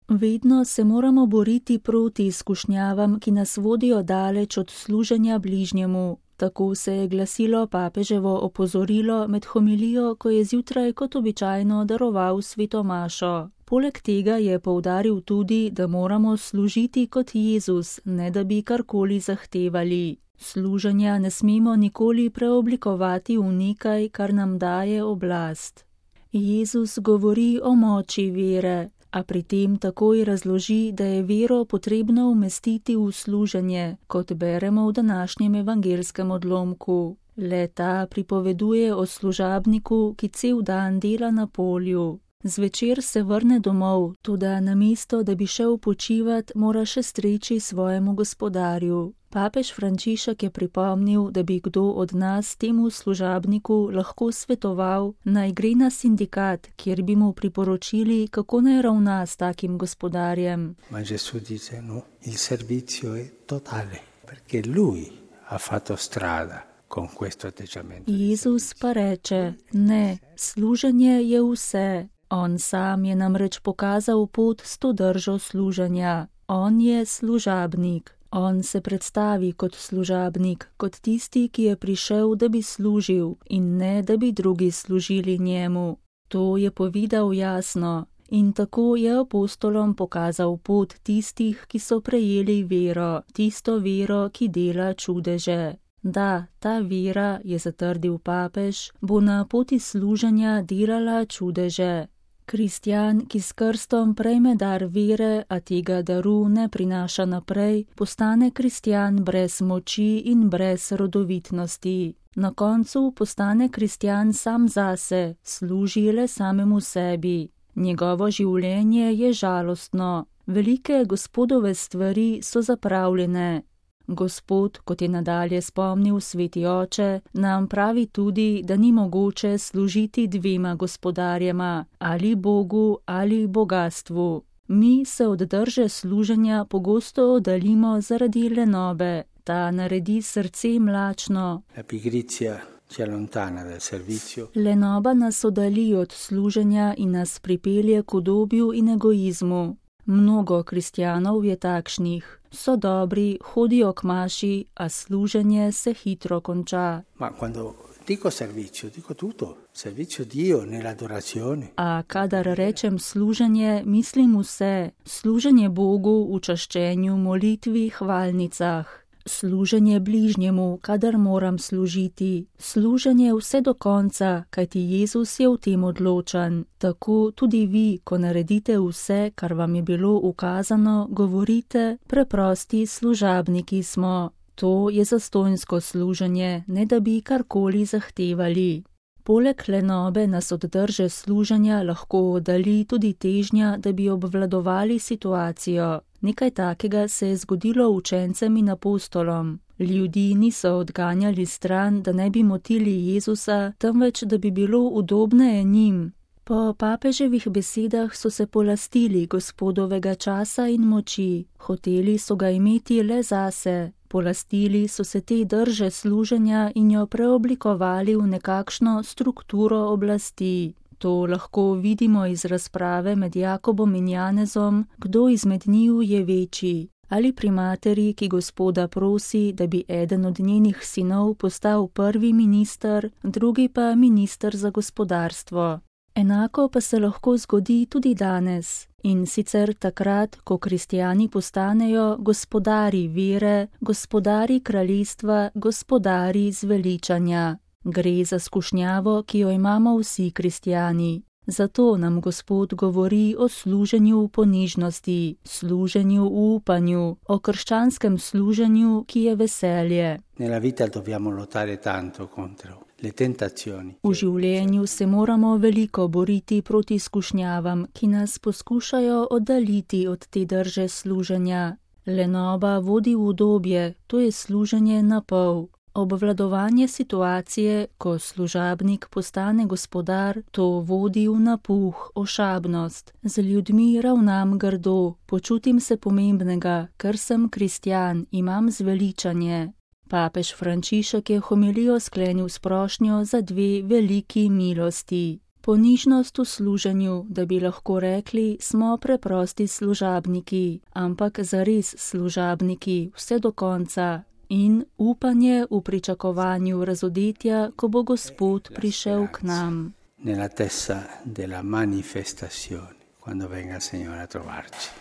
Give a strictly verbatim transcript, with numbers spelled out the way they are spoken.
Vedno se moramo boriti proti izkušnjavam, ki nas vodijo daleč od služenja bližnjemu. Tako se je glasilo papeževo opozorilo med homilijo, ko je zjutraj kot običajno daroval sveto mašo. Poleg tega je poudaril tudi, da moramo služiti kot Jezus, ne da bi karkoli zahtevali. Služenja ne smemo nikoli preoblikovati v nekaj, kar nam daje oblast. Jezus govori o moči vere, a pri tem takoj razloži, da je vero potrebno umestiti v služenje, kot beremo v današnjem evangelskem odlomku. Le ta pripoveduje o služabniku, ki cel dan dela na polju. Zvečer se vrne domov, toda namesto, da bi šel počivat, mora še streči svojemu gospodarju. Papež Frančišek je pripomnil, da bi kdo od nas temu služabniku lahko svetoval, naj gre na sindikat, kjer bi mu priporočili, kako naj ravna s takim gospodarjem. Ma Gesù dice no, il servizio è totale, perché lui ha fatto strada con questo atteggiamento. Jezus pa reče, ne, služenje je vse. On sam je namreč pokazal pot s to držo služenja. On je služabnik. On se predstavi kot služabnik, kot tisti, ki je prišel, da bi služil in ne, da bi drugi služili njemu. To je povedal jasno in tako je apostolom pokazal pot tistih, ki so prejeli vero, tisto vero, ki dela čudeže. Da, ta vera, je zatrdil papež, bo na poti služenja delala čudeže. Kristjan, ki s krstom prejme dar vere, a tega daru ne prinaša naprej, postane kristjan brez moči in brez rodovitnosti. Na koncu postane kristjan sam zase, služi le samemu sebi. Njegovo življenje je žalostno. Velike gospodove stvari so zapravljene. Gospod, kot je nadalje spomnil sveti oče, nam pravi tudi, da ni mogoče služiti dvema gospodarjema, ali Bogu ali bogastvu. Mi se od drže služenja pogosto oddaljimo zaradi lenobe, ta naredi srce mlačno. Lenoba nas oddalji od služenja in nas pripelje k udobju in egoizmu. Mnogo kristjanov je takšnih. So dobri, hodijo k maši, a služenje se hitro konča. Ma quando dico servizio, dico tutto. Servizio Dio nell'adorazione. A kadar rečem služenje, mislim vse. Služenje Bogu v čaščenju, molitvi, hvalnicah. Služenje bližnjemu, kadar moram služiti. Služenje vse do konca, kajti Jezus je v tem odločan. Tako tudi vi, ko naredite vse, kar vam je bilo ukazano, govorite, preprosti služabniki smo. To je zastonjsko služenje, ne da bi karkoli zahtevali. Poleg lenobe nas od drže služenja lahko oddalji tudi težnja, da bi obvladovali situacijo. Nekaj takega se je zgodilo učencem in apostolom. Ljudi niso odganjali stran, da ne bi motili Jezusa, temveč da bi bilo udobneje njim. Po papeževih besedah so se polastili Gospodovega časa in moči. Hoteli so ga imeti le zase. Polastili so se te drže služenja in jo preoblikovali v nekakšno strukturo oblasti. To lahko vidimo iz razprave med Jakobom in Janezom, kdo izmed njiju je večji. Ali pri materi, ki Gospoda prosi, da bi eden od njenih sinov postal prvi minister, drugi pa minister za gospodarstvo. Enako pa se lahko zgodi tudi danes. In sicer takrat, ko kristjani postanejo gospodari vere, gospodari kraljestva, gospodari zveličanja. Gre za skušnjavo, ki jo imamo vsi kristjani. Zato nam Gospod govori o služenju v ponižnosti, služenju v upanju, o krščanskem služenju, ki je veselje. Nella vita dobbiamo lottare tanto contro le tentazioni. V življenju se moramo veliko boriti proti skušnjavam, ki nas poskušajo oddaljiti od te drže služenja. Lenoba vodi v udobje, to je služenje na pol. Obvladovanje situacije, ko služabnik postane gospodar, to vodi v napuh, ošabnost. Z ljudmi ravnam grdo, počutim se pomembnega, ker sem kristjan, imam zveličanje. Papež Frančišek je homilijo sklenil s prošnjo za dve veliki milosti. Ponižnost v služenju, da bi lahko rekli, smo preprosti služabniki, ampak zares služabniki vse do konca in upanje v pričakovanju razodetja, ko bo Gospod prišel k nam. Nell'attesa della manifestazione, quando venga il Signore a trovarci.